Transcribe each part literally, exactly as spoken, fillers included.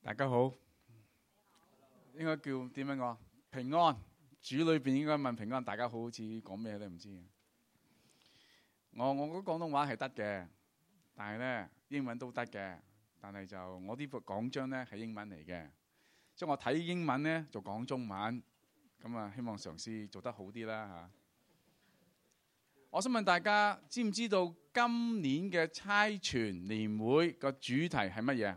大家好，應該叫點樣講？平安，主裏邊應該問平安。大家好，好似講咩都唔知。我我嗰廣東話係得嘅，但係咧英文都得嘅。但係就我呢部講章咧係英文嚟嘅，所以我睇英文咧就講中文。咁啊，希望嘗試做得好啲啦嚇。我想問大家，知唔知道今年嘅差傳年會個主題係乜嘢？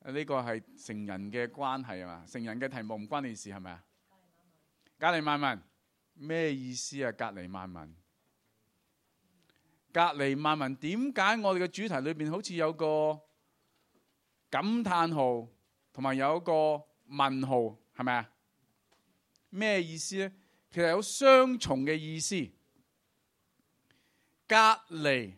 呢個係成人嘅關係係嘛？成人嘅題目唔關你事係咪啊？隔離萬民咩意思啊？隔離萬民，隔離萬民點解我哋嘅主題裏邊好似有個感嘆號同埋有一個問號係咪啊？咩意思咧？其實有雙重嘅意思。隔離，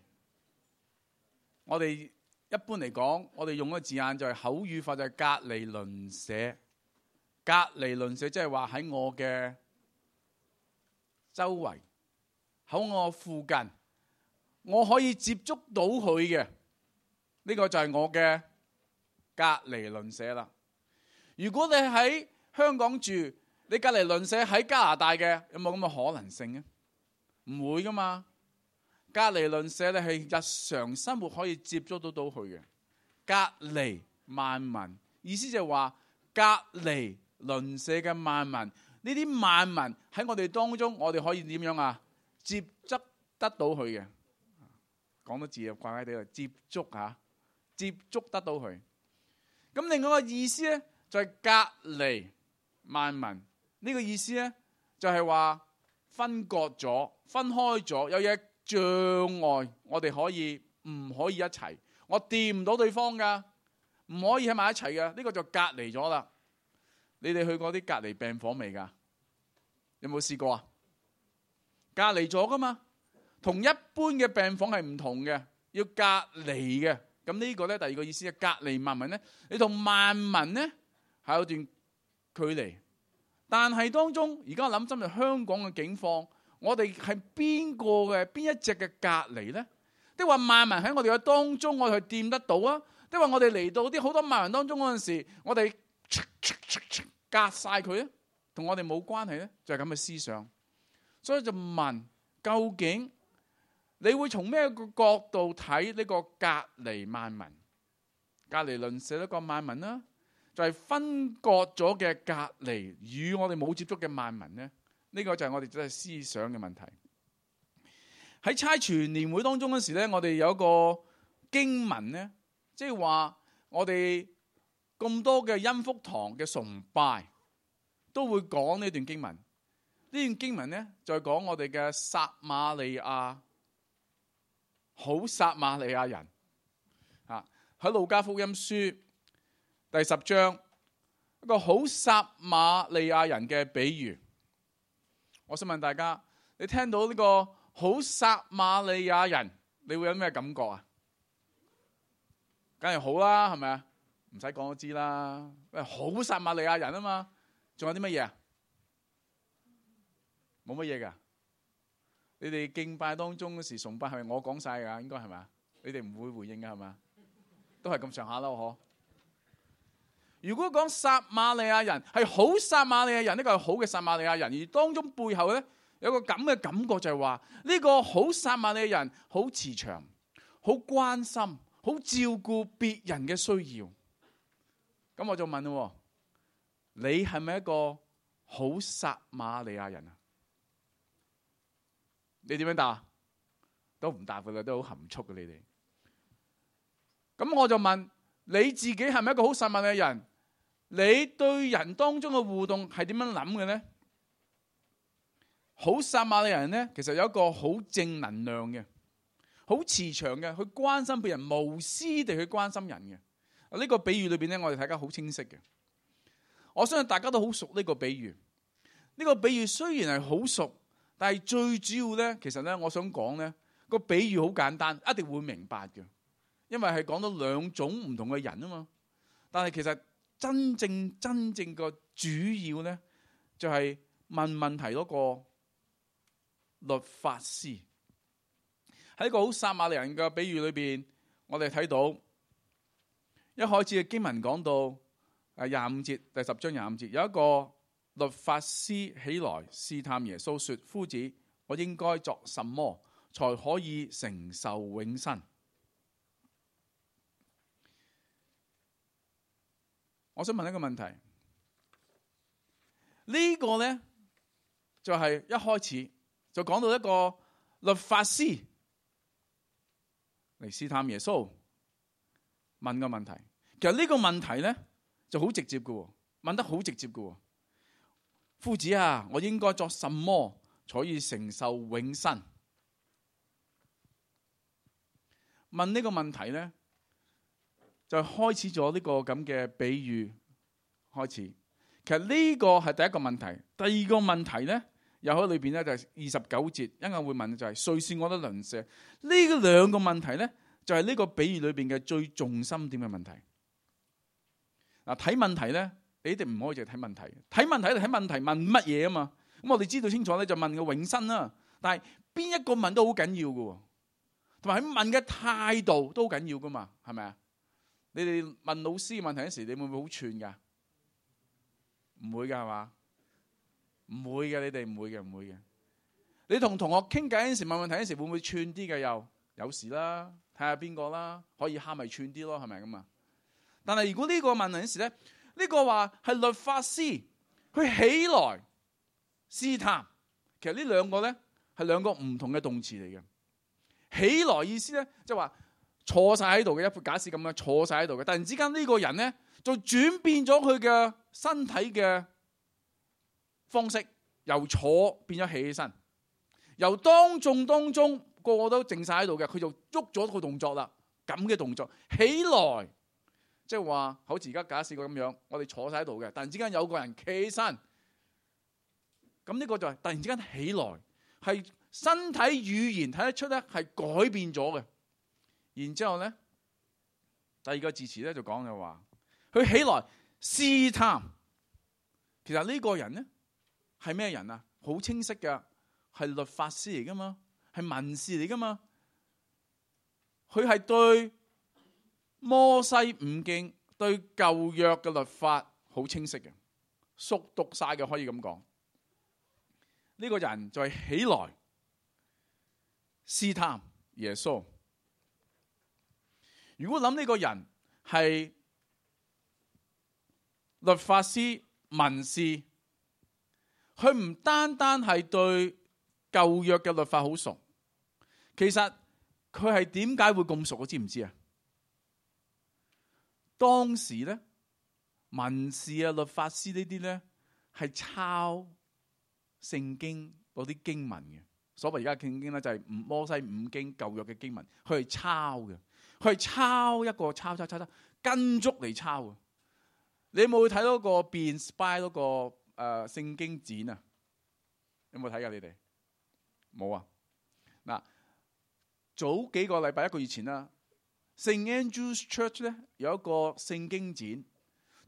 我哋一般嚟講，我哋用個字眼就係口語化，就係隔離鄰舍。隔離鄰舍即係話喺我嘅周圍，喺我附近，我可以接觸到佢嘅。呢個就係我嘅隔離鄰舍啦。如果你喺香港住，你隔離鄰舍喺加拿大嘅，有冇咁嘅可能性咧？唔會噶嘛。隔離鄰舍咧係日常生活可以接觸到到佢嘅。隔離萬民意思就係話隔離鄰舍嘅萬民，呢啲萬民喺我哋當中，我哋可以點樣啊？接觸得到佢嘅。講到字又怪怪地啦，接觸嚇，接觸得到佢。咁另外一個意思咧就係隔離萬民，呢個意思咧就係話分割咗、分開咗，有嘢障礙我哋可以唔可以一齊？我掂唔到對方噶，唔可以喺埋一齊噶，呢個就隔離咗啦。你哋去過啲隔離病房未噶？有冇試過啊？隔離咗噶嘛，同一般嘅病房係唔同嘅，要隔離嘅。咁呢個咧第二個意思係隔離萬民咧，你同萬民咧係有段距離。但係當中而家諗真係香港嘅境況。我哋係邊個嘅邊一隻嘅隔離咧？即係話萬民喺我哋嘅當中，我哋去掂得到啊？即係話我哋嚟到啲好多萬民當中嗰陣時，我哋隔晒佢咧，同我哋冇關係咧，就係咁嘅思想。所以就問，究竟你會從咩個角度睇呢個隔離萬民、隔離鄰舍一個萬民啦？就係、是、分割咗嘅隔離，與我哋冇接觸嘅萬民咧。呢個就係我哋真係思想嘅問題。喺差傳年會當中嗰時咧，我哋有一個經文咧，即係話我哋咁多嘅恩福堂嘅崇拜都會講呢段經文。呢段經文咧就係講我哋嘅撒瑪利亞好撒瑪利亞人啊，喺路加福音書第十章一個好撒瑪利亞人嘅比喻。我想問大家，你聽到呢個好撒瑪利亞人，你會有咩感覺啊？梗係好啦，係咪啊？唔使講都知啦。好撒瑪利亞人啊嘛，仲有啲乜嘢啊？冇乜嘢噶。你哋敬拜當中嗰時崇拜係咪我講晒噶？應該係咪啊？你哋唔會回應噶係咪啊？都係咁上下啦，嗬。如果講撒瑪利亞人係好撒瑪利亞人，呢個係好嘅撒瑪利亞人，而當中背後咧有個咁嘅感覺就係話呢個好撒瑪利亞人好慈祥、好關心、好照顧別人嘅需要。咁我就問咯，你係咪一個好撒瑪利亞人啊？你點樣答？都唔答佢啦，都好含蓄嘅你哋。咁我就問你自己係咪一個好撒瑪利亞人？你對人當中嘅互動係點樣諗嘅呢？好撒瑪利亞人呢，其實有一個好正能量嘅，好慈祥嘅，去關心別人，無私地去關心人嘅。呢個比喻裏邊呢，我哋大家好清晰嘅。我相信大家都好熟呢個比喻。呢個比喻雖然係好熟，但係最主要呢，其實呢，我想講呢個比喻好簡單，一定會明白嘅，因為係講到兩種唔同嘅人啊嘛。但係其實真正真正個主要咧，就係問問題嗰個律法師。喺一個好撒瑪利亞人嘅比喻裏邊，我哋睇到一開始嘅經文講到誒廿五節，第十章廿五節，有一個律法師起來試探耶穌，說：夫子，我應該作什麼才可以承受永生？我想問一個問題，呢個呢，就係一開始就講到一個律法師嚟試探耶穌，問個問題。其實呢個問題呢就好直接嘅，問得好直接嘅。夫子啊，我應該作什麼才可以承受永生？問呢個問題呢，就開始咗呢個咁嘅比喻開始。其實呢個係第一個問題。第二個問題呢，又喺裏邊呢，就係二十九節，一陣會問就係誰是我的鄰舍？呢兩個問題呢，就係呢個比喻裏邊嘅最重心點嘅問題。嗱，睇問題呢，你一定唔可以淨係睇問題。睇問題就睇問題問乜嘢啊嘛。咁我哋知道清楚咧，就問個永生啦。但係邊一個問都好緊要嘅，同埋喺問嘅態度都好緊要噶嘛，係咪啊？你哋問老師問題嗰時，你會唔會好串噶？唔會噶係嘛？唔會嘅，你哋唔會嘅，唔會嘅。你同同學傾偈嗰時問問題嗰時，會唔會串啲嘅？又有時啦，睇下邊個啦，可以蝦咪串啲咯，係咪咁啊？但係如果呢個問題嗰時咧，呢、呢個話係律法師佢起來試探，其實呢兩個咧係兩個唔同嘅動詞嚟嘅。起來意思咧，即係話坐晒喺度嘅，一副假設咁樣坐晒喺度嘅。突然之間呢個人咧就轉變咗佢嘅身體嘅方式，由坐變咗起起身，由當眾當中個個都靜晒喺度嘅，佢就喐咗個動作啦。咁嘅動作起來，即係話好似而家假設個咁樣，我哋坐晒喺度嘅，突然之間有個人企起身，咁呢個就係突然之間起來，係身體語言睇得出咧係改變咗嘅。然之後咧，第二個字詞咧就講嘅話，佢起來試探。其實呢個人咧係咩人啊？好清晰嘅，係律法師嚟噶嘛，係文士嚟噶嘛。佢係對摩西五經、對舊約嘅律法好清晰嘅，熟讀晒嘅，可以咁講。呢個人就係起來試探耶穌。如果諗呢個人係律法師、文士，佢唔單單係對舊約嘅律法好熟，其實佢係點解會咁熟？我知唔知啊？當時咧，文士啊、律法師呢啲咧係抄聖經嗰啲經文嘅。所謂而家嘅聖經咧就係摩西五經舊約嘅經文，佢係抄嘅。佢係抄一個抄抄抄抄跟足嚟抄啊！你有冇睇到個變 spy 嗰個誒聖經展啊？有冇睇噶？你哋冇啊？嗱，早幾個禮拜一個月前啦，聖 Andrew's Church 咧有一個聖經展，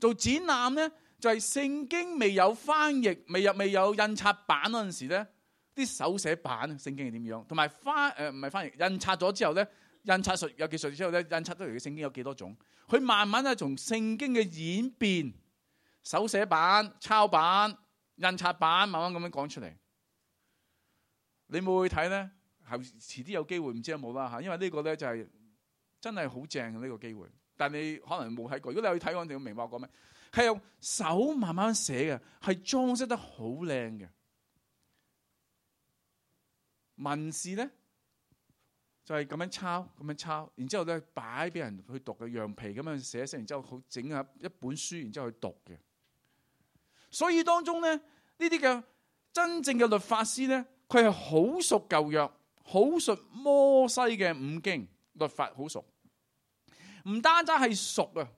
做展覽咧就係、是、聖經未有翻譯、未有未有印刷版嗰陣時咧，啲手寫版聖經係點樣？同埋翻誒唔係翻譯印刷咗之後咧。印刷術有技術之後咧，印刷出嚟嘅聖經有幾多種？佢慢慢咧從聖經嘅演變，手寫版、抄版、印刷版，慢慢咁樣講出嚟。你冇去睇咧？後遲啲有機會唔知有冇啦嚇，因為呢個咧就係真係好正嘅呢個機會。但你可能冇睇過。如果你去睇，我哋會明白我講咩。係用手慢慢寫嘅，係裝飾得好靚嘅。文士咧。就係咁樣抄，咁樣抄，然之後咧擺俾人去讀嘅，羊皮咁樣寫成，然之後好整下一本書，然之後去讀嘅。所以當中咧，呢啲嘅真正嘅律法師咧，佢係好熟舊約，好熟摩西嘅五經律法，好熟。唔單單係熟啊，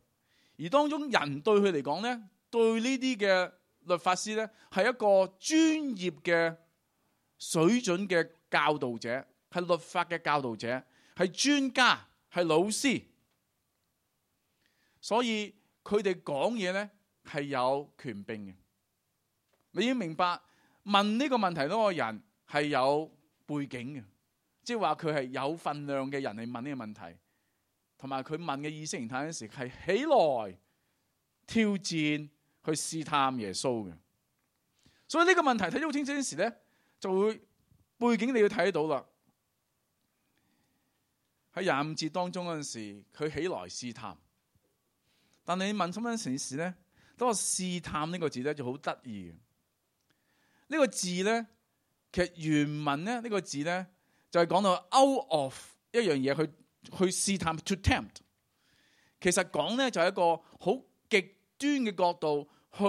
而當中人對佢嚟講咧，對呢啲嘅律法師咧，係一個專業嘅水準嘅教導者。係律法嘅教導者，係專家，係老師，所以佢哋講嘢咧係有權柄嘅。你要明白，問呢個問題嗰個人係有背景嘅，即係話佢係有份量嘅人嚟問呢個問題。同埋佢問嘅意識形態嗰時係起來挑戰去試探耶穌嘅。所以呢個問題睇得好清楚嗰時咧，就會背景你要睇到啦。喺廿五節當中嗰陣時，佢起來試探。但你問深一層時咧，當我試探呢個字咧就好得意嘅。呢、這個字咧，其實原文咧呢、這個字咧就係、是、講到 out of 一樣嘢去去試探 to tempt。其實講咧就係、是、一個好極端嘅角度去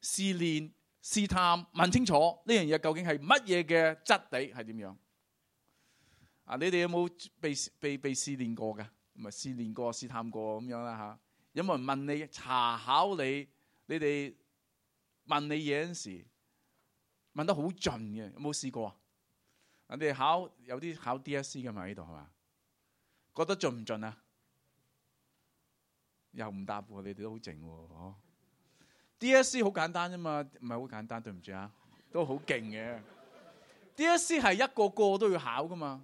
試煉、試探，問清楚呢樣嘢究竟係乜嘢嘅質地係點樣。啊！你哋有冇被被被試煉過嘅？唔係試煉過、試探過咁樣啦嚇。有冇人問你查考你？你哋問你嘢嗰陣時問得好盡嘅，有冇試過啊？你哋考有啲考 D S C 嘅嘛？呢度係嘛？覺得盡唔盡啊？又唔答喎，你哋都好靜喎。D S C 好簡單啫嘛，唔係好簡單，對唔住啊，都好勁嘅。D S C 係一個個都要考噶嘛。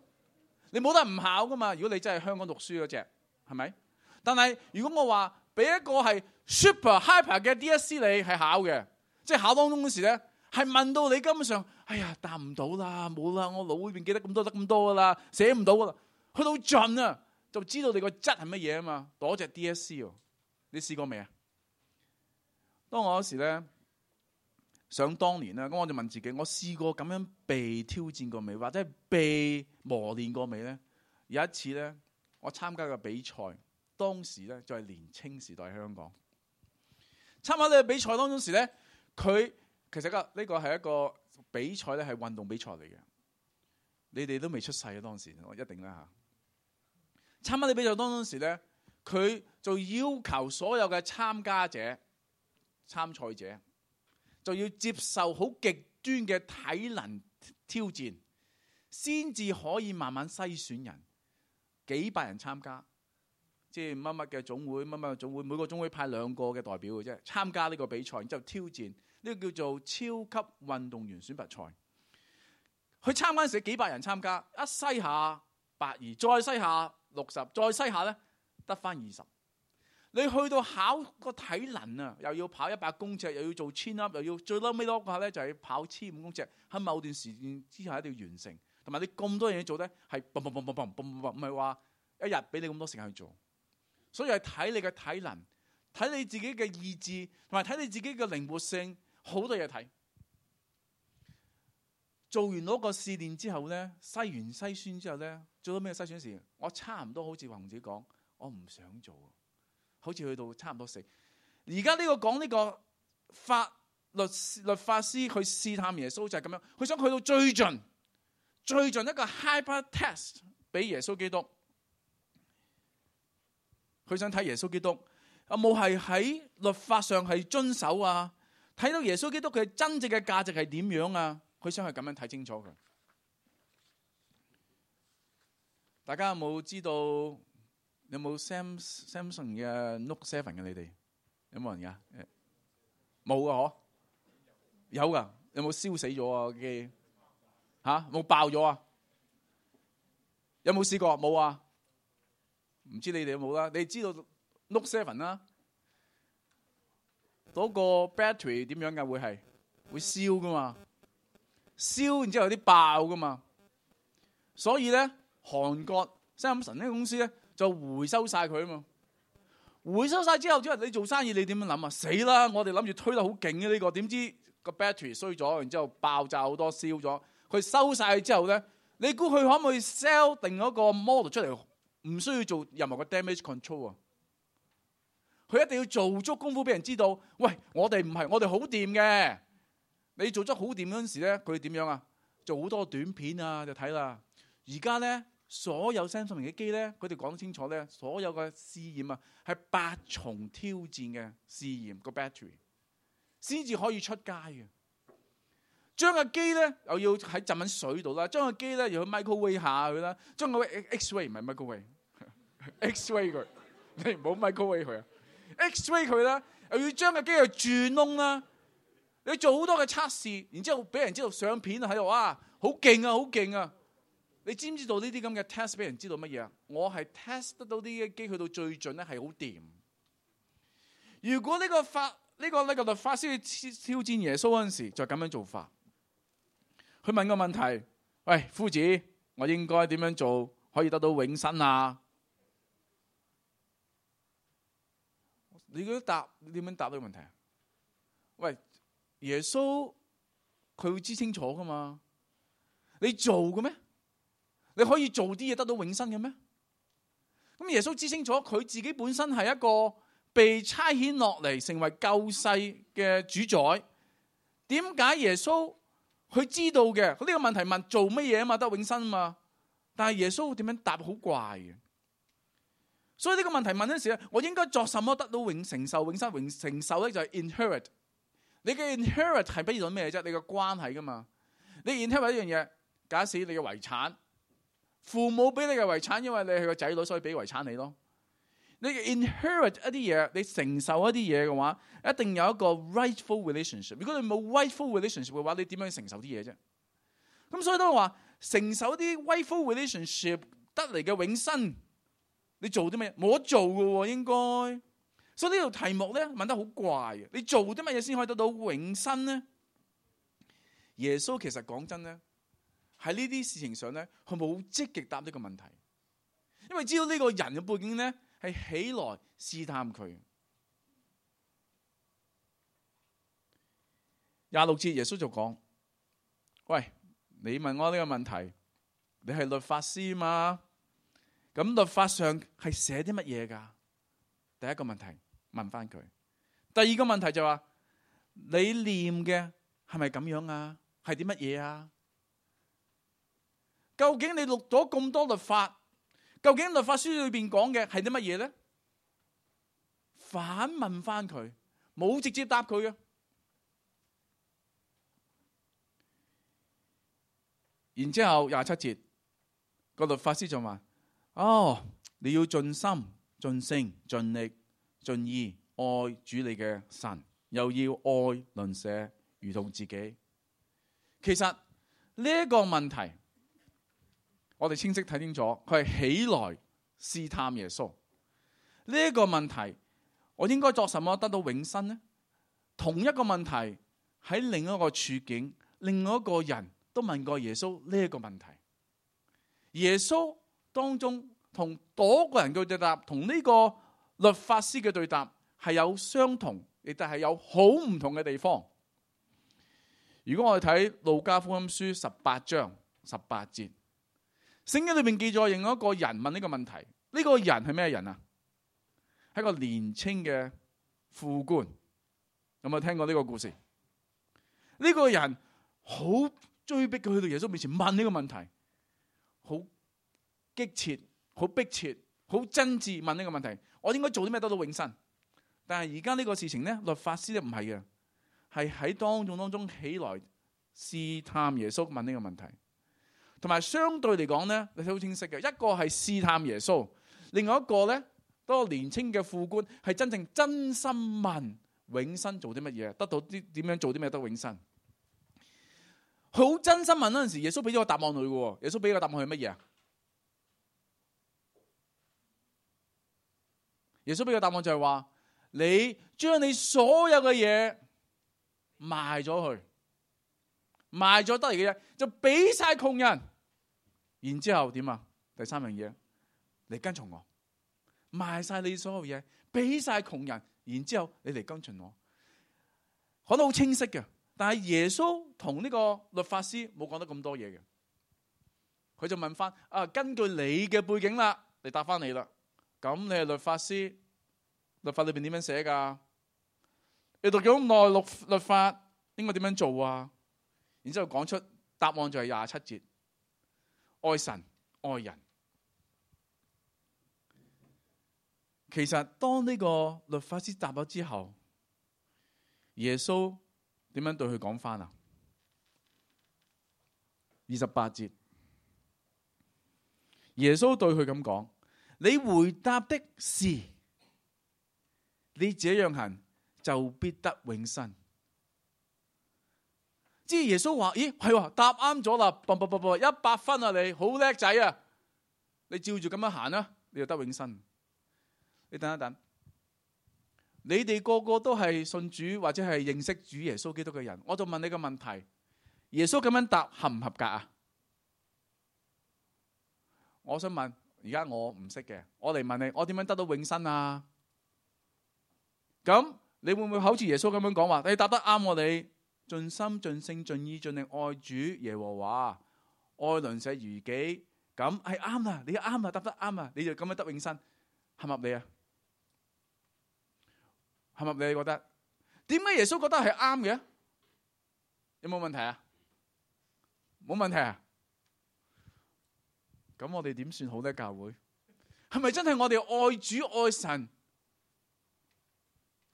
你冇得唔考噶嘛？如果你真係香港讀書嗰隻，係咪？但係如果我話俾一個係 super hyper 嘅 D S C 你係考嘅，即係考當中嗰時咧，係問到你根本上，哎呀答唔到啦，冇啦，我腦裏邊記得咁多得咁多噶啦，寫唔到噶啦，去到盡啊，就知道你個質係乜嘢啊嘛。攞隻 D S C 喎，你試過未啊？當我嗰時咧，想當年咧，咁我就問自己，我試過咁樣被挑戰過未，或者係被磨練過未咧？有一次咧，我參加個比賽，當時咧就係年青時代香港參加呢個比賽當中時咧，佢其實個呢個係一個比賽咧，係運動比賽嚟嘅。你哋都未出世啊，當時我一定啦嚇。參加呢比賽當中時咧，佢就要求所有嘅參加者、參賽者，就要接受好極端嘅體能挑戰，先至可以慢慢篩選人。幾百人參加，即係乜乜嘅總會，乜乜嘅總會，每個總會派兩個嘅代表嘅啫，參加呢個比賽，然之後挑戰，呢個叫做超級運動員選拔賽。去參加嗰時幾百人參加，一篩下百二，再篩下六十，再篩下咧得返二十。你去到考個體能啊，又要跑一百公尺，又要做 chin up，又要最嬲尾嗰下咧就係跑千五公尺，喺某段時間之下一定要完成。同埋你咁多嘢做咧，係嘣嘣嘣嘣嘣嘣嘣，唔係話一日俾你咁多時間去做。所以係睇你嘅體能，睇你自己嘅意志，同埋睇你自己嘅靈活性，好多嘢睇。做完嗰個試煉之後咧，篩完篩選之後咧，做到咩篩選時？我差唔多好似話同自己講，我唔想做。好似去到差唔多死。而家呢個講呢個法律律法師去試探耶穌就係咁樣，佢想去到最盡，最盡一個 hyper test 俾耶穌基督。佢想睇耶穌基督有冇係喺律法上係遵守啊？睇到耶穌基督佢真正嘅價值係點樣啊？佢想係咁樣睇清楚佢。大家有冇知道？有冇 Samsung 嘅 Note Seven 嘅？你哋有冇人噶？冇噶嗬？有噶？有冇燒死咗啊機？吓冇爆咗啊？有冇試過？冇啊？唔知你哋有冇啦？你知道 Note Seven 啦？嗰個 battery 點樣噶？會係會燒噶嘛？燒然之後有啲爆噶嘛？所以咧，韓國 Samsung 呢個公司咧，就回收晒佢啊嘛！回收晒之後，之後你做生意你點樣諗啊？死啦！我哋諗住推得好勁嘅呢個，點知個 battery 衰咗，然之後爆炸好多，燒咗。佢收晒之後咧，你估佢可唔可以 sell 定嗰個 model 出嚟？唔需要做任何嘅 damage control 啊！佢一定要做足功夫俾人知道，喂，我哋唔係，我哋好掂嘅。你做足好掂嗰陣時咧，佢點樣啊？做好多短片啊，就睇啦。而家咧。所有 Samsung 嘅機咧，佢哋講得清楚咧，所有嘅試驗啊，係八重挑戰嘅試驗個 battery，先至可以出街嘅。將個機咧又要喺浸緊水度啦，將個機咧又要 microwave 下佢啦，將個 X-ray 唔係 microwave，X-ray 佢，你唔好 microwave 佢啊 ，X-ray 佢啦，又要將個機又轉窿啦，你做好多嘅測試，然之後俾人知道相片喺度啊，好勁啊，好勁啊！你知唔知道呢啲咁嘅 test 俾人知道乜嘢啊？我係 test 得到啲嘅機去到最盡咧，係好掂。如果呢個法呢、呢個呢、呢個律法師去挑戰耶穌嗰陣時，就咁樣做法。佢問個問題：喂，夫子，我應該點樣做可以得到永生啊？你覺得答你點樣答呢個問題啊？喂，耶穌佢會知清楚噶嘛？你做嘅咩？你可以做啲嘢得到永生嘅咩？咁耶穌知清楚，佢自己本身係一個被差遣落嚟成為救世嘅主宰。點解耶穌佢知道嘅？佢呢個問題問做乜嘢啊嘛？得永生啊嘛？但係耶穌點樣答好怪嘅？所以呢個問題問嗰陣時咧，我應該作什麼得到永承受永生？永承受咧就係 inherit。你嘅 inherit 係不如咩啫？你嘅關係噶嘛？你 inherit 一樣嘢，假使你嘅遺產，父母俾你嘅遺產，因為你係個仔女，所以俾遺產你咯。你 inherit 一啲嘢，你承受一啲嘢嘅話，一定有一個 rightful relationship。如果你冇 rightful relationship 嘅話，你點樣去承受啲嘢啫？咁所以都話承受啲 rightful relationship 得嚟嘅永生，你做啲乜嘢？冇得做嘅喎，應該。所以呢條題目咧問得好怪嘅。你做啲乜嘢先可以得到永生呢？耶穌其實講真咧，喺呢啲事情上咧，佢冇積極答呢個問題，因為知道呢個人嘅背景咧係起來試探佢。廿六節耶穌就講：喂，你問我呢個問題，你係律法師嘛？咁律法上係寫啲乜嘢噶？第一個問題問翻佢。第二個問題就話：你念嘅係咪咁樣啊？係啲乜嘢啊？究竟你錄咗咁多律法，究竟律法書裏邊講嘅係啲乜嘢咧？反問翻佢，冇直接答佢嘅。然之後廿七節，個律法師就話：哦，你要盡心、盡性、盡力、盡意愛主你嘅神，又要愛鄰舍如同自己。其實呢一個問題，我哋清晰睇清楚，佢係起來試探耶穌。呢一個問題，我應該作什麼得到永生呢？同一個問題喺另一個處境，另外一個人都問過耶穌呢一個問題。耶穌當中同嗰個人嘅對答，同呢個律法師嘅對答係有相同，亦都係有好唔同嘅地方。如果我哋睇路加福音書十八章十八節，聖經裏面記載另外一個人問呢個問題。呢個人係咩人啊？係一個年輕嘅副官。有冇聽過呢個故事？呢個人好追逼佢去到耶穌面前問呢個問題，好激切、好迫切、好真摯問呢個問題。我應該做啲咩得到永生？但係而家呢個事情呢，律法師咧唔係嘅，係喺當眾當中起來試探耶穌問呢個問題。同埋相對嚟講咧，你睇好清晰嘅，一個係試探耶穌，另外一個咧，嗰個年輕嘅副官係真正真心問永生做啲乜嘢，得到啲點樣做啲咩得永生。佢好真心問嗰陣時，耶穌俾咗個答案佢嘅。耶穌俾個答案係乜嘢啊？耶穌俾個答案就係話：你將你所有嘅嘢賣咗佢，賣咗得嚟嘅嘢就俾晒窮人。然之後點啊？第三樣嘢，你跟從我，賣晒你所有嘢，俾晒窮人。然之後你嚟跟從我，講得好清晰嘅。但係耶穌同呢個律法師冇講得咁多嘢嘅，佢就問翻：啊，根據你嘅背景啦，嚟答翻你啦。咁你係律法師，律法裏邊點樣寫噶？你讀咗咁耐律律法，應該點樣做啊？然之後講出答案就係廿七節：愛神愛人。其實當呢個律法師答咗之後，耶穌點樣對佢講翻啊？二十八節，耶穌對佢咁講：你回答的是，你這樣行就必得永生。即係耶穌話：咦，係喎，答啱咗啦，啵啵啵啵，一百分啊！你好叻仔啊！你照住咁樣行啦，你就得永生。你等一等，你哋個個都係信主或者係認識主耶穌基督嘅人，我就問你個問題：耶穌咁樣答合唔合格啊？我想問，而家我唔識嘅，我嚟問你，我點樣得到永生啊？咁你會唔會好似耶穌咁樣講話？你答得啱我哋。盡心盡性盡意盡力愛主耶和華，愛鄰舍如己，咁係啱啦，你啱啦，答得啱啊，你就咁樣得永生，合唔合理啊？合唔合理？你覺得？點解耶穌覺得係啱嘅？有冇問題啊？冇問題啊？咁我哋點算好呢？教會係咪真係我哋愛主愛神，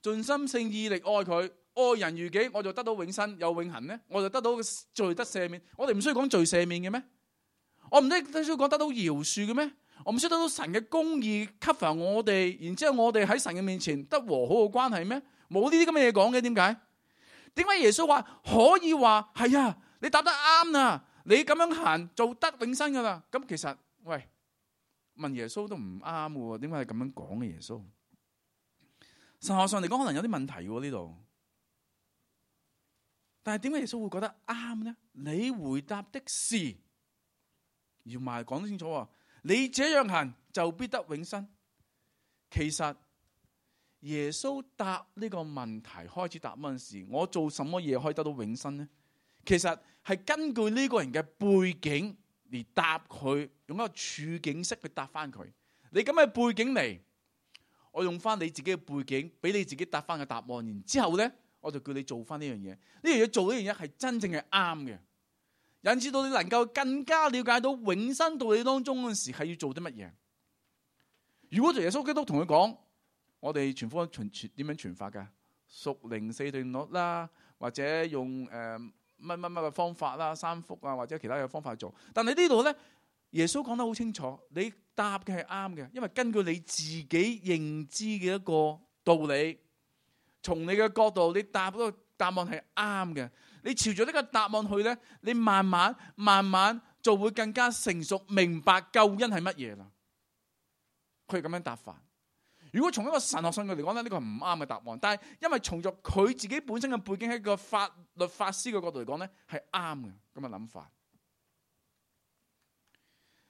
盡心性意力愛佢？愛人如己，我就得到永生有永恆呢？我就得到罪得赦免。我哋唔需要講罪赦免嘅咩？我唔需要講得到饒恕嘅咩？我唔需要得到神嘅公義 cover 我哋，然之後我哋喺神嘅面前得和好嘅關係咩？冇呢啲咁嘅嘢講嘅，點解？點解耶穌話可以話係啊？你答得啱啊！你咁樣行就得永生噶啦。咁其實喂，問耶穌都唔啱嘅，點解係咁樣講嘅？耶穌神學上嚟講，可能有啲問題喎呢度。但係點解耶穌會覺得啱呢？你回答的是，要埋講得清楚啊！你這樣行就必得永生。其實耶穌答呢個問題開始答嗰陣時，我做什麼嘢可以得到永生呢？其實係根據呢個人嘅背景嚟答佢，用一個處境式去答翻佢。你咁嘅背景嚟，我用翻你自己嘅背景，俾你自己答翻嘅答案。然之後呢，我就叫你做翻呢樣嘢，呢樣嘢做呢樣嘢係真正係啱嘅，引致到你能夠更加了解到永生道理當中嗰陣時係要做啲乜嘢。如果做耶穌基督同佢講，我哋傳福音傳傳點樣傳法噶？屬靈四定律啦，或者用誒乜乜乜嘅方法啦，三福啊，或者其他嘅方法去做。但係呢度咧，耶穌講得好清楚，你答嘅係啱嘅，因為根據你自己認知嘅一個道理。從你嘅角度，你答嗰個答案係啱嘅。你朝住呢個答案去咧，你慢慢慢慢就會更加成熟，明白救恩係乜嘢啦。佢係咁樣答法。如果從一個神學上嘅嚟講咧，呢個係唔啱嘅答案。但係因為從咗佢自己本身嘅背景喺個法律法師嘅角度嚟講咧，係啱嘅咁嘅諗法。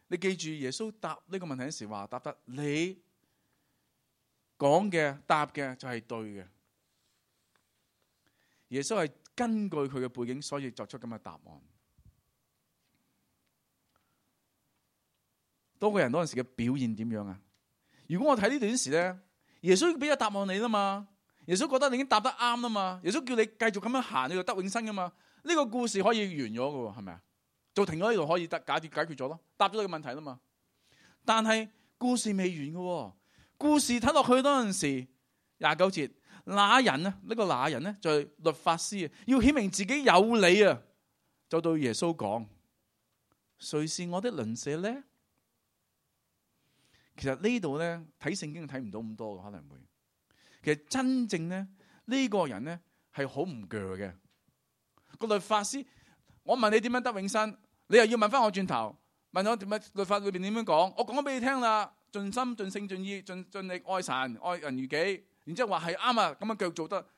你記住耶穌答呢個問題嘅時話，答得你講嘅答嘅就係對嘅。耶穌係根據佢嘅背景，所以作出咁嘅答案。多個人嗰陣時嘅表現點樣啊？如果我睇呢段時咧，耶穌俾咗答案你啦嘛，耶穌覺得你已經答得啱啦嘛，耶穌叫你繼續咁樣行，你就得永生噶嘛。呢個故事可以完咗噶，係咪啊？就停咗呢度可以得解決解決咗咯，答咗你個問題啦嘛。但係故事未完噶，故事睇落去嗰陣時廿九節。那人呢？呢、這個那人呢？就係、是、律法師啊，要顯明自己有理啊，就對耶穌講：誰是我的鄰舍呢？其實呢度咧睇聖經睇唔到咁多嘅，可能會。其實真正咧呢、這個人咧係好唔鋸嘅。個律法師，我問你點樣得永生，你又要問翻我轉頭，問我點樣律法裏邊點樣講？我講咗俾你聽啦，盡心盡性盡意盡盡力愛神愛人如己。然之後話係啱啊，咁樣腳做得，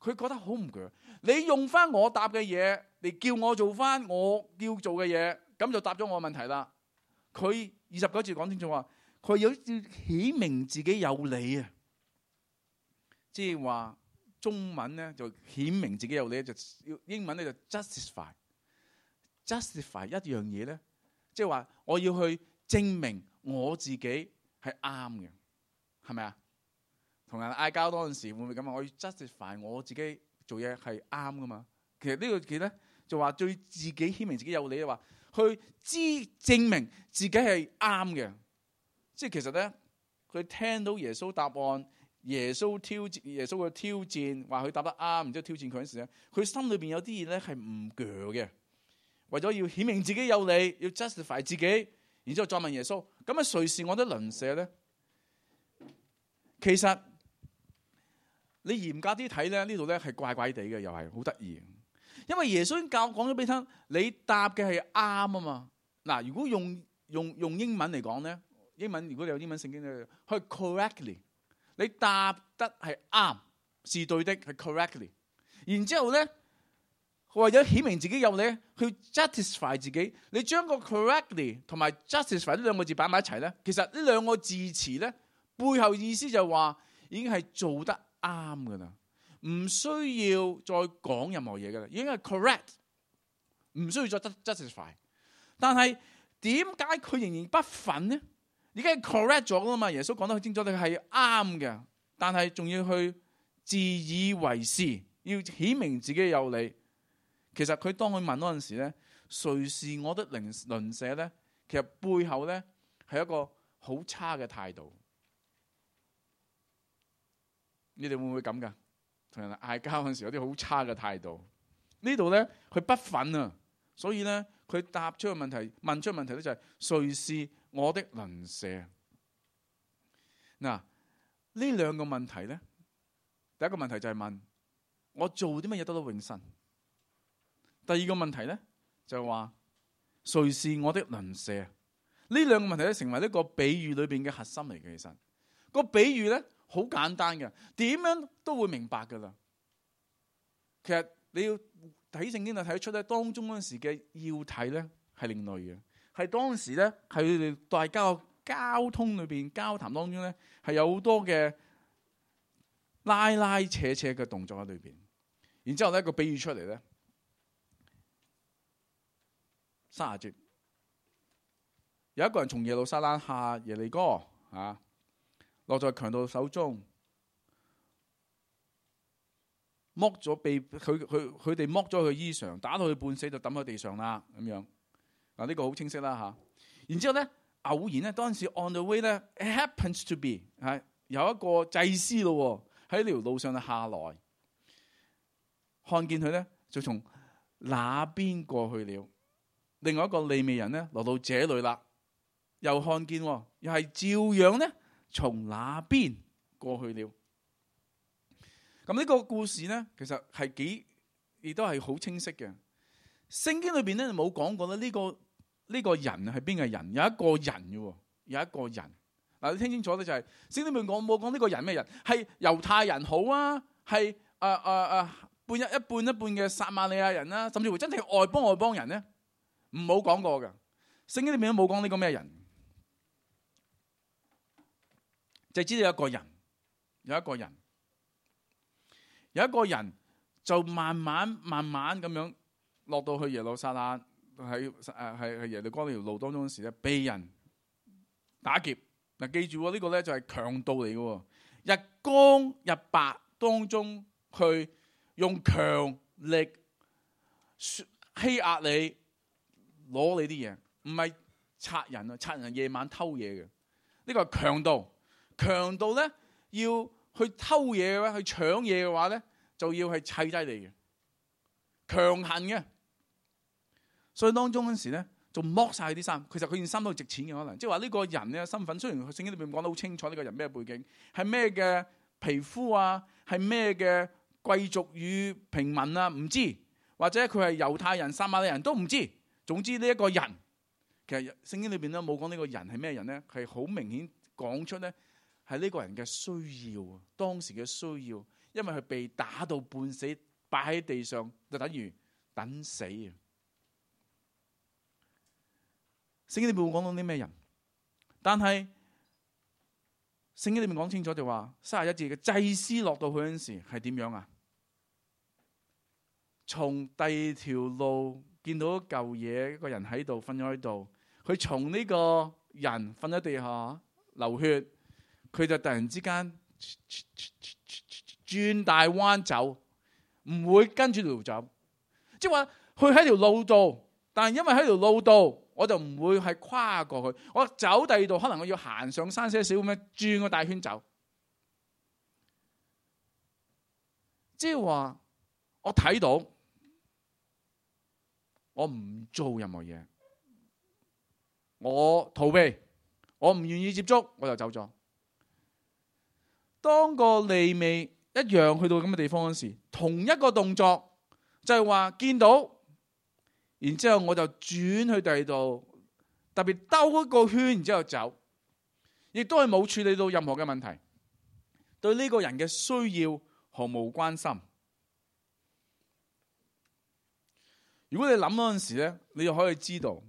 佢覺得好唔鋸。你用翻我答嘅嘢嚟叫我做翻我要做嘅嘢，咁就答咗我嘅問題啦。佢二十九節講清楚話，佢要顯明自己有理啊，即係話中文咧就顯明自己有理，就英文咧就 justify。justify 一樣嘢咧，即係話我要去證明我自己係啱嘅，係咪啊？同人嗌交嗰陣時會唔會咁啊？我要 justify 我自己做嘢係啱噶嘛？其實呢個字咧就話對自己顯明自己有理嘅話，去知證明自己係啱嘅。即係其實咧，佢聽到耶穌答案，耶穌挑戰耶穌嘅挑戰，話佢答得啱，然之後挑戰佢嗰陣時咧，佢心裏邊有啲嘢咧係唔鋸嘅，為咗要顯明自己有理，要 justify 自己，然之後再問耶穌：咁啊，誰是我的鄰舍咧？其實你嚴格啲睇咧，呢度咧係怪怪地嘅，又係好得意。因為耶穌已經教講咗俾你聽，你答嘅係啱啊嘛。嗱，如果用用用英文嚟講咧，英文如果你有英文聖經咧，可以 correctly， 你答得係啱，是對的，係 correctly。然之後咧，為咗顯明自己有理，去 justify 自己，你將個 correctly 同埋 justify 呢兩個字擺埋一齊咧，其實呢兩個字詞咧，背後意思就係話已經係做得啱噶啦。唔需要再講任何嘢噶啦，已經係 correct， 唔需要再 justify。但係點解佢仍然不忿呢？已經係 correct 咗噶嘛？耶穌講得好清楚，你係啱嘅，但係仲要去自以為是，要顯明自己有理。其實佢當佢問嗰陣時咧，誰是我的鄰鄰舍咧？其實背後咧係一個好差嘅態度。你哋會唔會咁噶？同人嗌交嗰陣時有啲好差嘅態度，呢度咧佢不忿啊，所以咧佢答出個問題，問出個問題咧就係誰是我的鄰舍？嗱，呢兩個問題咧，第一個問題就係問我做啲乜嘢得到永生？第二個問題咧就係話誰是我的鄰舍？呢兩個問題咧成為呢個比喻裏邊嘅核心嚟嘅。其實個比喻咧好簡單嘅，點樣都會明白噶啦。其實你要睇聖經就睇得出咧，當中嗰陣時嘅要睇咧係另類嘅，係當時咧係佢哋大家交通裏邊交談當中咧係有好多嘅拉拉扯扯嘅動作喺裏邊。然之後咧個比喻出嚟咧，三十節有一個人從耶路撒冷下耶利哥啊。落在強盜手中，剝咗被佢佢佢哋剝咗佢衣裳，打到佢半死就抌喺地上啦咁樣。嗱、這、呢個好清晰啦吓。然之後咧偶然咧當時 on the way 咧 it happens to be 係有一個祭司咯喺呢條路上下來，看見佢咧就從那邊過去了。另外一個利未人咧來到這裏啦，又看見又係照樣咧。從那邊過去了。咁呢個故事咧，其實係幾亦都係好清晰嘅。聖經裏邊咧冇講過咧呢個呢個人係邊個人？有一個人嘅，有一個人。嗱，你聽清楚咧，就係聖經裏面講冇講呢個人咩人？係猶太人好啊，係誒誒誒半一一半一半嘅撒瑪利亞人啦，甚至乎真係外邦外邦人咧，唔好講過嘅。聖經裏面都冇講呢個咩人。就知道有一個人，有一個人，有一個人就慢慢慢慢咁樣落到去耶路撒冷，喺誒係係耶利哥呢條路當中嗰時咧，被人打劫。嗱，記住喎，呢個咧就係強盜嚟嘅，日光日白當中去用強力欺壓你，攞你啲嘢，唔係賊人啊！賊人夜晚偷嘢嘅，呢個係強盜。強盜咧要去偷嘢嘅話，去搶嘢嘅話咧，就要係砌低你嘅，強行嘅。所以當中嗰時咧，就剝晒啲衫。其實佢件衫都值錢嘅，可能即係話呢個人嘅身份。雖然聖經裏面講得好清楚，呢個人咩背景，係咩嘅皮膚啊，係咩嘅貴族與平民啊，唔知，或者佢係猶太人、撒瑪利亞人都唔知。總之呢一個人，其實聖經裏邊都冇講呢個人係咩人咧，係好明顯講出咧。係呢個人嘅需要，當時嘅需要，因為佢被打到半死，擺喺地上，就等於等死啊！聖經裏面冇講到啲咩人，但係聖經裏面講清楚就話，三十一節嘅祭司落到去嗰陣時係點樣啊？從第二條路見到一嚿嘢，一個人喺度瞓咗喺度，佢從呢個人瞓喺地下流血。佢就突然之間轉大彎走，唔會跟住條走，即係話佢喺條路度，但係因為喺條路度，我就唔會係跨過去，我走第二度，可能我要行上山些少咁樣轉個大圈走，即係話我睇到，我唔做任何嘢，我逃避，我唔願意接觸，我就走咗。當個利未一樣去到咁嘅地方嗰時，同一個動作，就係話見到，然之後我就轉去第二度，特別兜一個圈，然之後走，亦都係冇處理到任何嘅問題，對呢個人嘅需要毫無關心。如果你諗嗰陣時咧，你就可以知道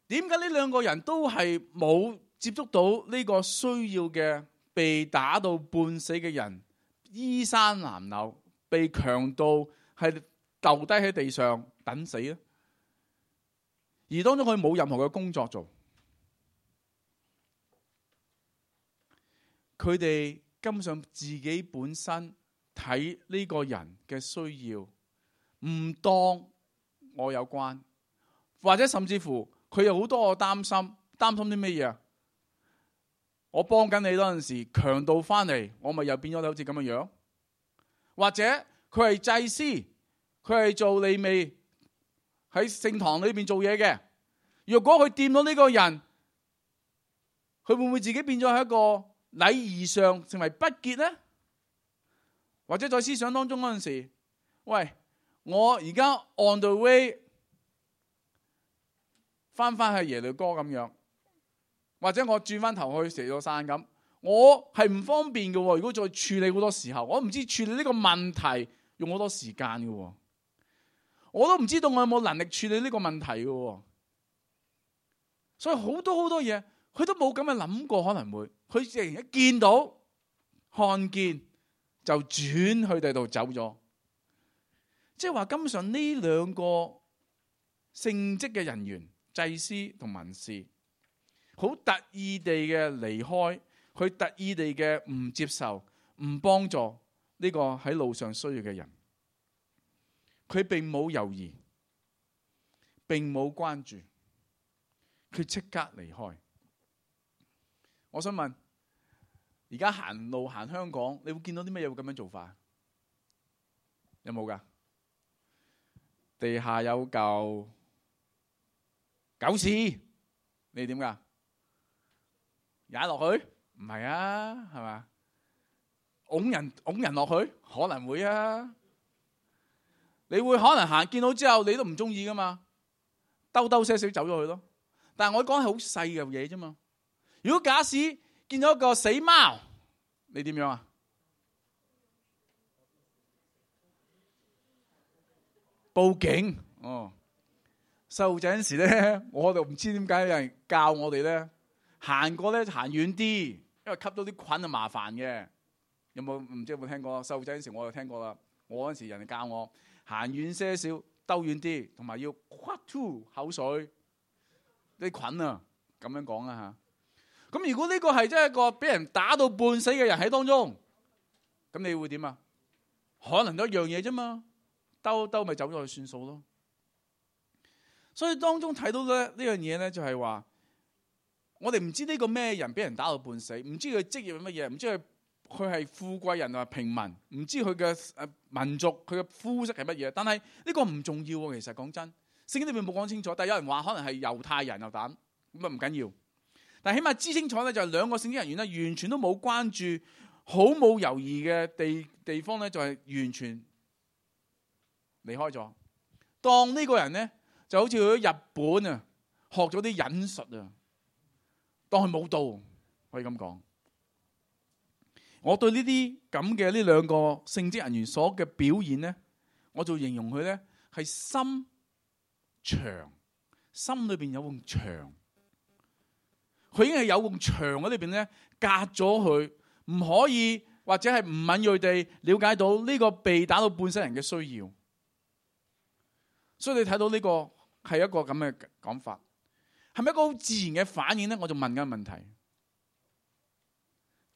點解呢兩個人都係冇接觸到呢個需要嘅被打到半死嘅人，衣衫襤褸，被強盜係丟低喺地上等死咧，而當中佢冇任何嘅工作做，佢哋根本上自己本身睇呢個人嘅需要，唔當我有關，或者甚至乎佢有好多嘅擔心，擔心啲咩嘢啊？我幫緊你嗰陣時，強盜翻嚟，我咪又變咗好似咁嘅樣？或者佢係祭司，佢係做利未喺聖堂裏邊做嘢嘅，如果佢掂到呢個人，佢會唔會自己變咗係一個禮儀上成為不潔呢？或者在思想當中嗰陣時，喂，我而家 on the way 翻翻去耶利哥咁樣，或者我轉翻頭去蛇咗山咁，我係唔方便嘅。如果再處理好多時候，我唔知處理呢個問題用好多時間嘅，我都唔知道我有冇能力處理呢個問題嘅。所以好多好多嘢，佢都冇咁嘅諗過，可能會佢突然一見到看見就轉去第度走咗。即係話根本上呢兩個聖職嘅人員，祭司同文士，好特意地嘅離開，佢特意地嘅唔接受、唔幫助呢個喺路上需要嘅人。佢並冇猶豫，並冇關注，佢即刻離開。我想問，而家行路行香港，你會見到啲咩嘢會咁樣做法？有冇噶？地下有嚿狗屎，你點噶？踩落去？唔係啊，係嘛？拱人拱人落去？可能會啊。你會可能行見到之後，你都唔中意噶嘛？兜兜些少走咗去咯。但係我講係好細嘅嘢啫嘛。如果假使見到一個死貓，你點樣啊？報警哦。細路仔嗰時咧，我就唔知點解有人教我哋咧，行過咧行遠啲，因為吸到啲菌就麻煩嘅。有冇唔知有冇聽過？細路仔嗰時我就聽過啦。我嗰時人哋教我行遠些少，兜遠啲，同埋要咳吐口水啲菌啊，咁樣講啊吓。咁如果呢個係真係一個俾人打到半死嘅人喺當中，咁你會點啊？可能都一樣嘢啫嘛，兜兜咪走咗去算數咯。所以當中睇到咧呢樣嘢咧，就係話我哋唔知呢個咩人俾人打到半死，唔知佢職業係乜嘢，唔知佢佢係富貴人定係平民，唔知佢嘅誒民族佢嘅膚色係乜嘢。但係呢個唔重要喎，其實講真，聖經裏面冇講清楚。但係有人話可能係猶太人又膽，咁啊唔緊要。但係起碼知清楚咧，就係兩個聖經人員咧，完全都冇關注，好冇猶豫嘅地地方咧，就係完全離開咗。當呢個人咧就好似去咗日本啊，學咗啲忍術啊，當佢冇到，可以咁講。我對呢啲咁嘅呢兩個聖職人員所嘅表現咧，我就形容佢咧係心牆，心裏邊有埲牆。佢已經係有埲牆喺裏邊咧，隔咗佢，唔可以或者係唔敏銳地了解到呢個被打到半死人嘅需要。所以你睇到呢個係一個咁嘅講法，係咪一個好自然嘅反應咧？我就問緊問題。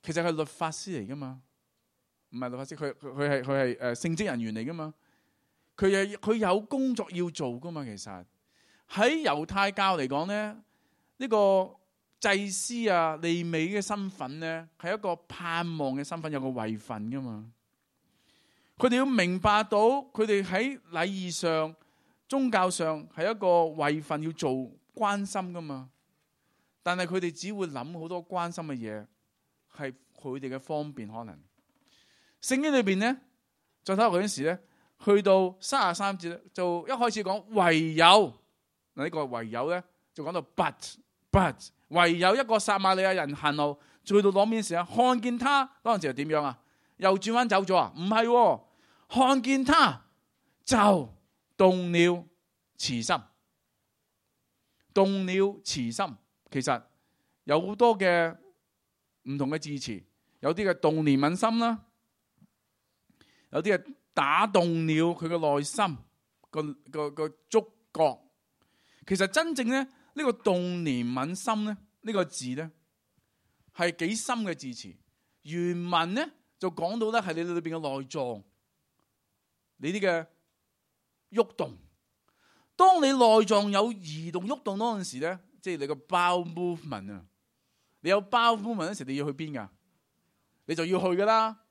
其實係律法師嚟噶嘛？唔係律法師，佢佢佢係佢係誒聖職人員嚟噶嘛？佢係佢有工作要做噶嘛？其實喺猶太教嚟講咧，呢個祭司啊、利未嘅身份咧，係一個盼望嘅身份，有個位份噶嘛。佢哋要明白到，佢哋喺禮儀上、宗教上係一個位份要做關心噶嘛。但係佢哋只會諗好多關心嘅嘢，係佢哋嘅方便可能。聖經裏邊咧再睇落嗰陣時咧，去到三十三節咧，就一開始講唯有嗱，呢個唯有咧就講到 but but 唯有一個撒瑪利亞人行路，去到攞邊時啊，看見他嗰陣時係點樣啊？又轉彎走咗啊？唔係、哦，看見他就動了慈心，動了慈心。其實有好多嘅唔同嘅字詞，有啲嘅動憐憫心啦，有啲係打動了佢嘅內心個個個觸覺。其實真正咧呢、這個動憐憫心咧呢、這個字咧係幾深嘅字詞。原文咧就講到咧係你裏邊嘅內臟，你啲嘅喐動。當你內臟有移動喐動嗰陣時咧，即係你個 bowel movement 啊，你有 bowel movement 嗰時你要去邊噶？你就要去噶啦。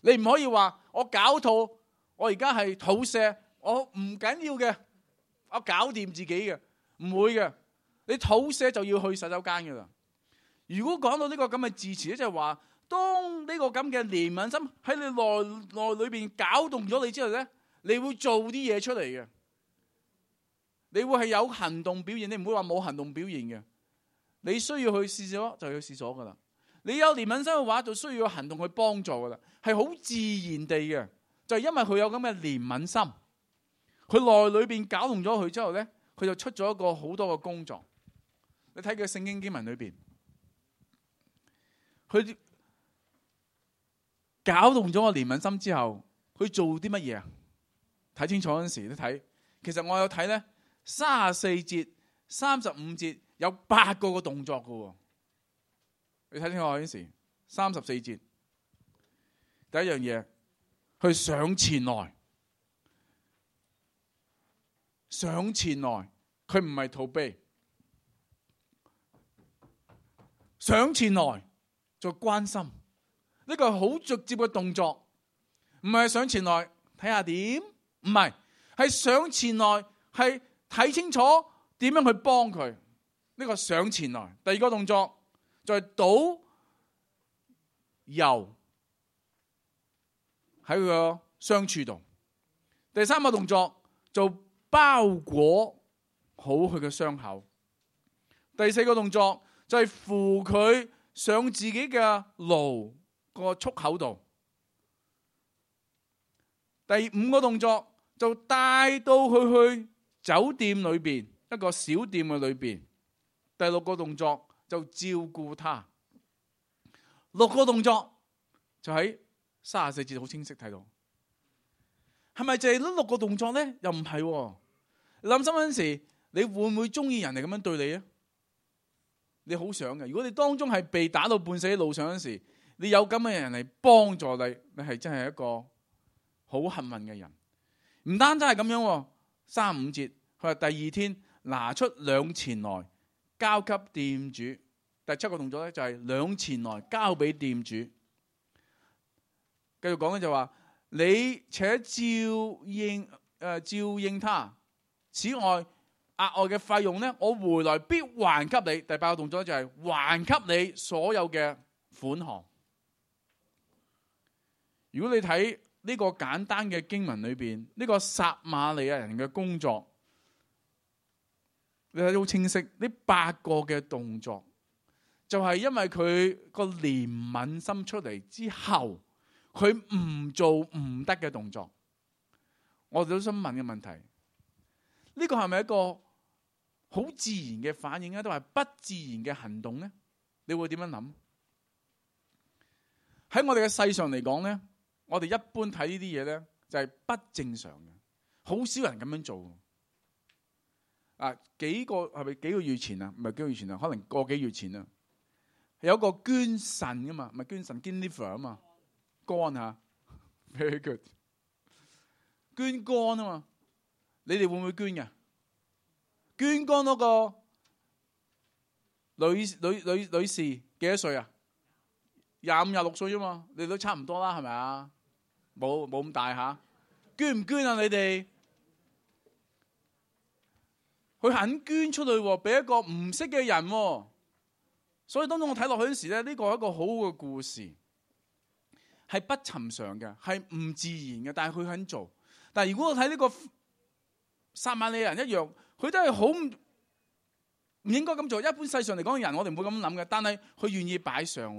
你唔可以話我搞肚，我而家係肚瀉，我唔緊要嘅，我搞掂自己嘅，唔會嘅。你肚瀉就要去洗手間噶啦。如果講到呢個咁嘅字詞咧，就係話當呢個咁嘅憐憫心喺你內內裏邊搞動咗你之後咧，你會做啲嘢出嚟嘅。你會係有行動表現，你唔會話冇行動表現嘅。你需要去廁所就去廁所噶啦。你有憐憫心嘅話，就需要有行動去幫助噶啦，係好自然地嘅。就係因為佢有咁嘅憐憫心，佢內裏邊搞動咗佢之後咧，佢就出咗一個好多嘅工作。你睇佢聖經經文裏邊，佢搞動咗個憐憫心之後，佢做啲乜嘢啊？睇清楚嗰陣時都睇。其實我有睇咧。三十四節、三十五節有八個個動作噶，你睇清楚嗰陣時，三十四節第一樣嘢，去上前來，上前來，佢唔係逃避，上前來再關心，呢個係好直接嘅動作，唔係上前來睇下點，唔係，係上前來係。睇清楚點樣去幫佢，呢、這個上前來。第二個動作就係倒油喺佢個傷處度。第三個動作就包裹好佢嘅傷口。第四個動作就係扶佢上自己嘅驢個束口度。第五個動作就帶到佢去酒店裏邊一個小店嘅裏邊。第六個動作就照顧他。六個動作就喺三十四節好清晰睇到，係咪就係呢六個動作咧？又唔係、哦。你諗深嗰陣時，你會唔會中意人哋咁樣對你啊？你好想嘅。如果你當中係被打到半死喺路上嗰陣時，你有咁嘅人嚟幫助你，你係真係一個好幸運嘅人。唔單止係咁樣、哦。三五節，佢話第二天拿出兩錢來交給店主。第七個動作咧就係兩錢來交俾店主。繼續講咧就話，你且照應誒、呃、照應他。此外額外嘅費用咧，我回來必還給你。第八個動作就係還給你所有嘅款項。如果你睇呢個簡單嘅經文裏邊，呢個撒瑪利亞人嘅工作，你睇到好清晰。呢八個嘅動作，就係因為佢個憐憫心出嚟之後，佢唔做唔得嘅動作。我哋都想問嘅問題，呢個係咪一個好自然嘅反應咧，都係不自然嘅行動咧？你會點樣諗？喺我哋嘅世上嚟講咧，我哋一般睇呢啲嘢咧，就係不正常嘅，好少人咁樣做。啊，幾個係咪幾個月前啊？唔係幾個月前啊，可能個幾月前啊，有一個捐腎噶嘛，唔係捐腎，捐 liver 啊嘛，肝吓 ，very good，捐肝啊嘛，你哋會唔會捐嘅？捐肝嗰個女女女女士幾多歲啊？廿五廿六歲啫嘛，你都差唔多啦，係咪啊？冇冇咁大吓？捐唔捐啊？你哋佢肯捐出去，俾一個唔識嘅人，所以當中我睇落去嗰時咧，呢個係一個好好嘅故事。係不尋常嘅，係唔自然嘅，但係佢肯做。但係如果我睇呢個撒瑪利亞人一樣，佢都係好唔唔應該咁做。一般世上嚟講嘅人，我哋唔會咁諗嘅。但係佢願意擺上，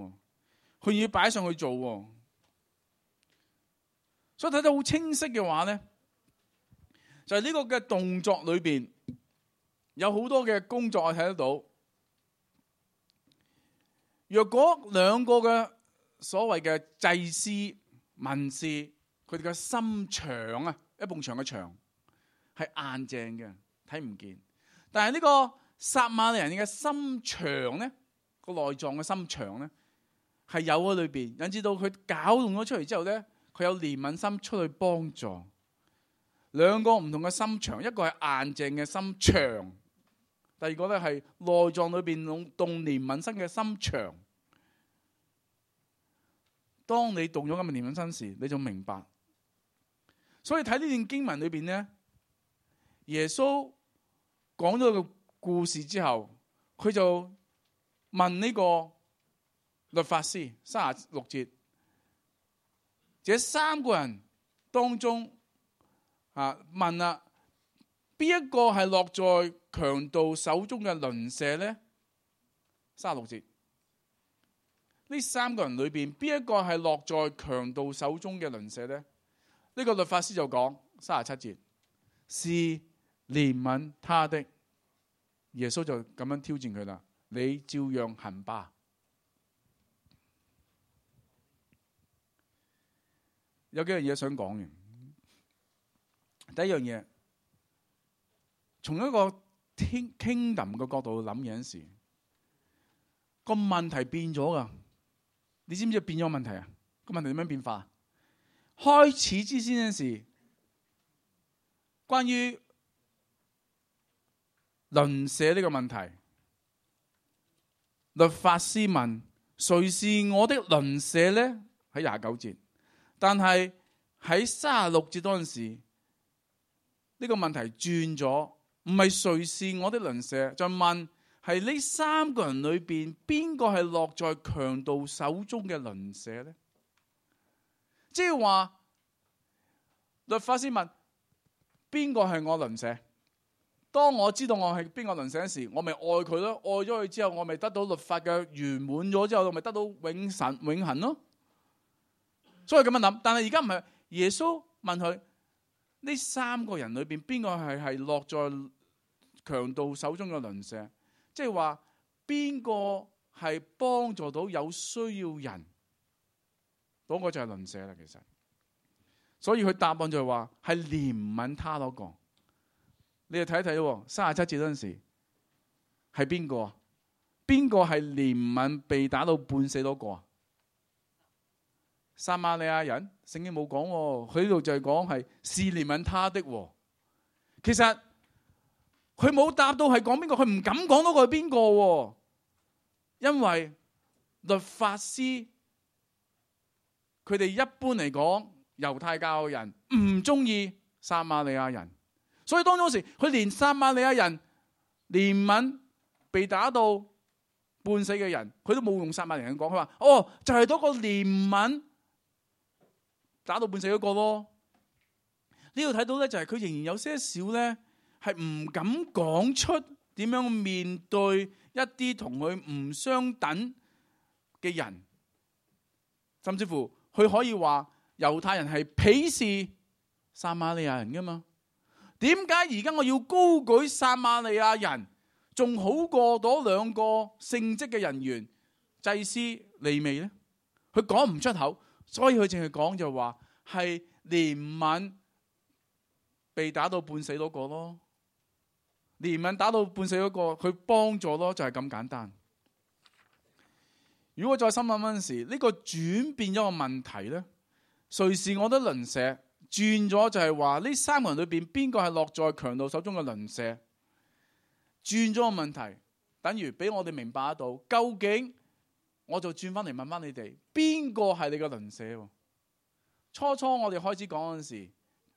佢願意擺上去做。所以睇得好清晰嘅話咧，就係呢個嘅動作裏邊有好多嘅工作我睇得到。若果兩個嘅所謂嘅祭司、文士，佢哋嘅心腸啊，一埲牆嘅牆係硬淨嘅，睇唔見。但係呢個撒瑪利亞人嘅心腸咧，個內臟嘅心腸咧係有喺裏邊，引致到佢搞動咗出嚟之後咧，佢有憐憫心出去幫助。兩個唔同嘅心腸，一個係硬淨嘅心腸，第二個咧係內臟裏邊動動憐憫心嘅心腸。當你動咗咁嘅憐憫心時，你就明白。所以睇呢段經文裏邊咧，耶穌講咗個故事之後，佢就問呢個律法師，三十六節，這三個人當中啊問啦，邊一個係落在強盜手中嘅鄰舍咧？三十六節。呢三個人裏邊，邊一個係落在強盜手中嘅鄰舍呢？呢、這個律法師就講三十七節，是憐憫他的。耶穌就咁樣挑戰佢啦，你照樣行吧。有幾樣嘢想講嘅。第一樣嘢，從一個 kingdom 嘅角度去諗嘢嗰時，個問題變咗噶。你知唔知變咗問題啊？個問題點樣變化？開始之先嗰時，關於鄰舍呢個問題，律法師問誰是我的鄰舍呢？喺廿九節，但係喺三十六節嗰陣時，呢、這個問題轉咗，唔係誰是我的鄰舍，就問。係呢三個人裏邊，邊個係落在強盜手中嘅鄰舍呢？即係話律法師問邊個係我鄰舍？當我知道我係邊個鄰舍嗰時，我咪愛佢咯。愛咗佢之後，我咪得到律法嘅圓滿咗之後，我咪得到永神永恆咯。所以咁樣諗，但係而家唔係。耶穌問佢呢三個人裏邊，邊個係係落在強盜手中嘅鄰舍？即係話邊個係幫助到有需要人，嗰個就係鄰舍啦。其實，所以佢答案就係話係憐憫他嗰個。你哋睇一睇，三十七節嗰陣時係邊個啊？邊個係憐憫被打到半死嗰個啊？撒瑪利亞人，聖經冇講，佢呢度就係講係是憐憫他的。其實。佢冇答到係講邊個，佢唔敢講到佢係邊個，因為律法師佢哋一般嚟講，猶太教嘅人唔中意撒瑪利亞人，所以當中時佢連撒瑪利亞人憐憫被打到半死嘅人，佢都冇用撒瑪利亞人講，佢話哦就係嗰個憐憫打到半死嗰個咯。呢度睇到咧就係佢仍然有些少咧。係唔敢講出點樣面對一啲同佢唔相等嘅人，甚至乎佢可以話猶太人係鄙視撒瑪利亞人噶嘛？點解而家我要高舉撒瑪利亞人，仲好過嗰兩個聖職嘅人員祭司利未呢？佢講唔出口，所以佢淨係講就話係憐憫被打到半死嗰個咯。憐憫打到半死嗰個，佢幫助咯，就係咁簡單。如果我再深諗嗰陣時，呢個轉變咗個問題咧，誰是我的鄰舍？轉咗就係話呢三個人裏邊邊個係落在強盜手中嘅鄰舍？轉咗個問題，等於俾我哋明白得到，究竟我就轉翻嚟問翻你哋，邊個係你嘅鄰舍？初初我哋開始講嗰陣時，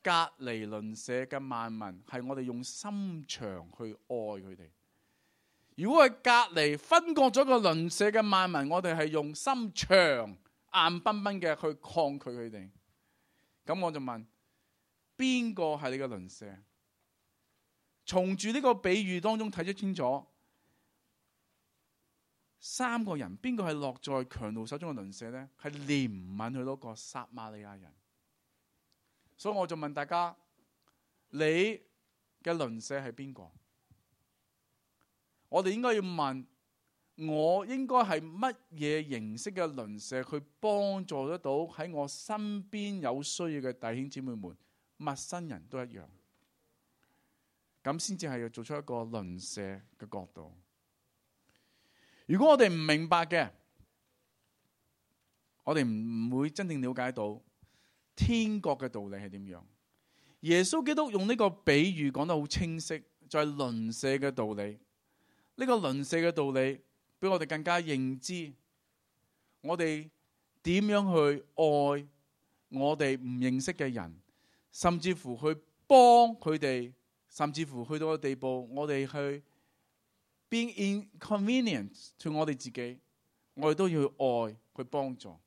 隔離鄰舍嘅萬民係我哋用心腸去愛佢哋。如果係隔離分割咗個鄰舍嘅萬民，我哋係用心腸硬硬崩崩嘅去抗拒佢哋。咁我就問，邊個係你嘅鄰舍？從住呢個比喻當中睇得清楚，三個人邊個係落在強盜手中嘅鄰舍呢？係憐憫佢嗰個撒瑪利亞人。所以我就問大家，你嘅鄰舍係邊個？我哋應該要問，我應該係乜嘢形式嘅鄰舍去幫助得到喺我身邊有需要嘅弟兄姊妹們，陌生人都一樣，咁先至係要做出一個鄰舍嘅角度。如果我哋唔明白嘅，我哋唔會真正了解到天國嘅道理係點樣。耶穌基督用呢個比喻講得好清晰，就係鄰舍嘅道理。呢個鄰舍嘅道理俾我哋更加認知，我哋點樣去愛我哋唔認識嘅人，甚至乎去幫佢哋，甚至乎去到個地步，我哋去 being inconvenient to 我哋自己，我哋都要去愛去幫助。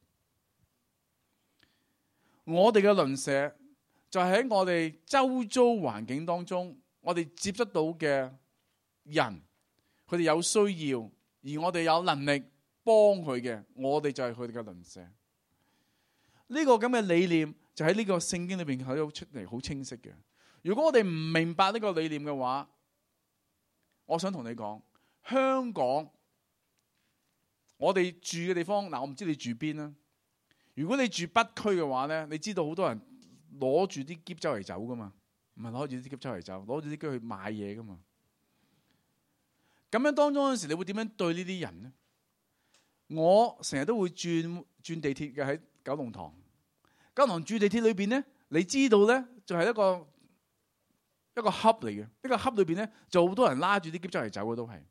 我哋嘅鄰舍就係喺我哋周遭環境當中，我哋接觸到嘅人，佢哋有需要，而我哋有能力幫佢嘅，我哋就係佢哋嘅鄰舍。呢個咁嘅理念就喺呢個聖經裏邊睇到出嚟，好清晰嘅。如果我哋唔明白呢個理念嘅話，我想同你講，香港我哋住嘅地方，嗱，我唔知你住邊啦。如果你住北區嘅話咧，你知道好多人攞住啲篋周圍走噶嘛，唔係攞住啲篋周圍走，攞住啲篋去買嘢噶嘛。咁樣當中嗰陣時，你會點樣對呢啲人呢？我成日都會轉轉地鐵嘅，喺九龍塘。九龍塘轉地鐵裏邊咧，你知道咧，就係一個一個盒嚟嘅。呢個盒裏邊咧，就好多人拉住啲篋周圍走嘅都係。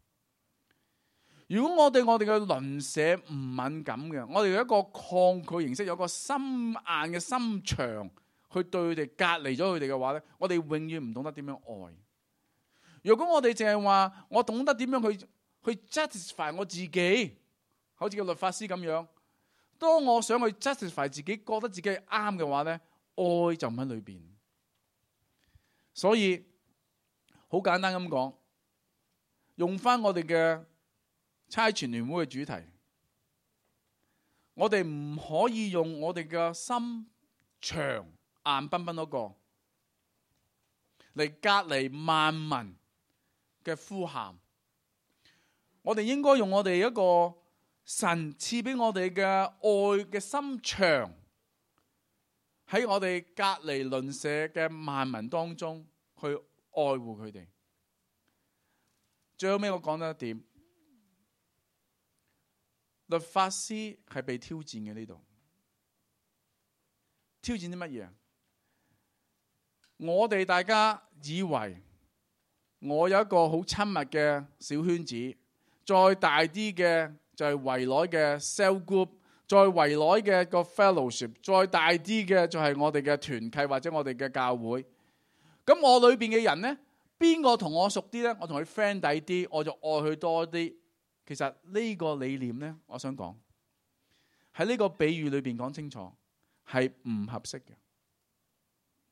如果我對我哋嘅鄰舍唔敏感嘅，我哋有一個抗拒形式，有一個心硬嘅心腸去對佢哋隔離咗佢哋嘅話咧，我哋永遠唔懂得點樣愛。如果我哋淨係話我懂得點樣去去 justify 我自己，好似個律法師咁樣，當我想去 justify 自己，覺得自己係啱嘅話咧，愛就唔喺裏邊。所以好簡單咁講，用翻我哋嘅差傳聯會嘅主題，我哋唔可以用我哋嘅心腸硬崩崩嗰個嚟隔離萬民嘅呼喊。我哋應該用我哋一個神賜俾我哋嘅愛嘅心腸，喺我哋隔離鄰舍嘅萬民當中去愛護佢哋。最後尾我講得一點，律法師係被挑戰嘅。呢度挑戰啲乜嘢？我哋大家以為我有一個好親密嘅小圈子，再大啲嘅就係圍內嘅 cell group， 再圍內嘅個 fellowship， 再大啲嘅就係我哋嘅團契或者我哋嘅教會。咁我裏邊嘅人呢，邊個同我熟啲呢？我同佢 friend 底啲，我就愛佢多啲。其實呢個理念呢，我想講喺呢個比喻裏邊講清楚，係唔合適嘅。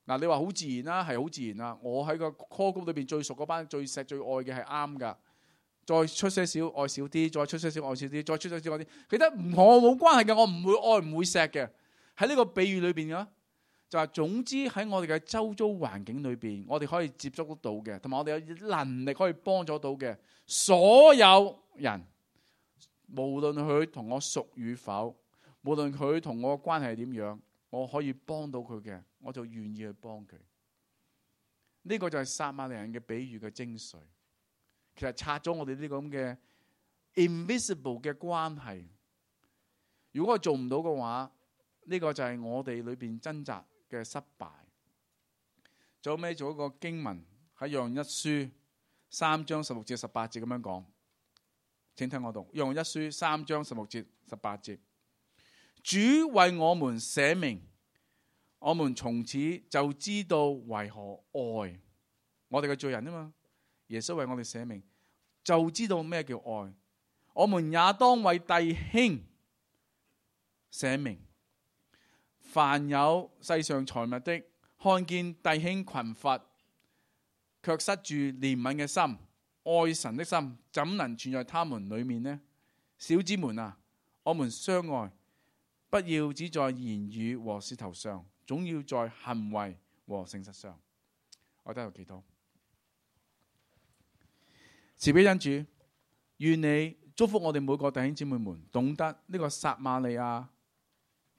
嗱，你話好自然啦，係好自然啦。我喺個 call group 裏邊最熟嗰班、最錫最愛嘅係啱噶。再出些少愛少啲，再出些少愛少啲，再出些少愛啲，其實唔同我冇關係嘅，我唔會愛唔會錫嘅。喺呢個比喻裏邊嘅，就係總之喺我哋嘅周遭環境裏邊，我哋可以接觸得到嘅，同埋我哋有能力可以幫助到嘅所有人，無論佢同我熟與否，無論佢同我嘅關係係點樣，我可以幫到佢嘅，我就願意去幫佢。呢個就係撒瑪利亞人嘅比喻嘅精髓。其實拆咗我哋呢個咁嘅 invisible 嘅關係。如果我做唔到嘅話，呢個就係我哋裏邊掙扎嘅失敗。最後尾做一個經文喺約翰一書三章十六至十八節咁樣講，請聽我讀。約翰一書三章十六節十八節，主為我們捨命，我們從此就知道為何愛我哋嘅罪人啊嘛。耶穌為我哋捨命，就知道咩叫愛。我們也當為弟兄寫明，凡有世上財物的，看見弟兄困乏，卻塞住憐憫嘅心、愛神的心，怎能存在他們裏面呢？小子們啊，我們相愛，不要只在言語和舌頭上，總要在行為和誠實上。我喺度祈禱，慈悲恩主，願你祝福我哋每個弟兄姊妹們，懂得呢個撒瑪利亞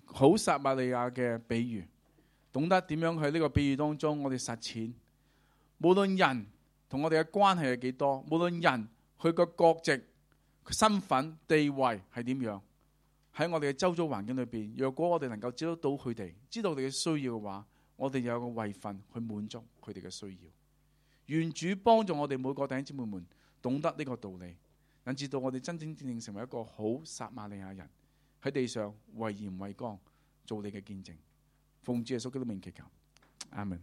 好撒瑪利亞嘅比喻，懂得點樣喺呢個比喻當中我哋實踐。無論人同我哋嘅關係係幾多，無論人佢個國籍、身份、地位係點樣，喺我哋嘅周遭環境裏邊，若果我哋能夠知道到佢哋，知道佢哋嘅需要嘅話，我哋有個位份去滿足佢哋嘅需要。願主幫助我哋每個弟兄姊妹們懂得呢個道理，引致到我哋真真正正成為一個好撒瑪利亞人，喺地上為鹽為光，做你嘅見證。奉主耶穌基督名祈求，阿門。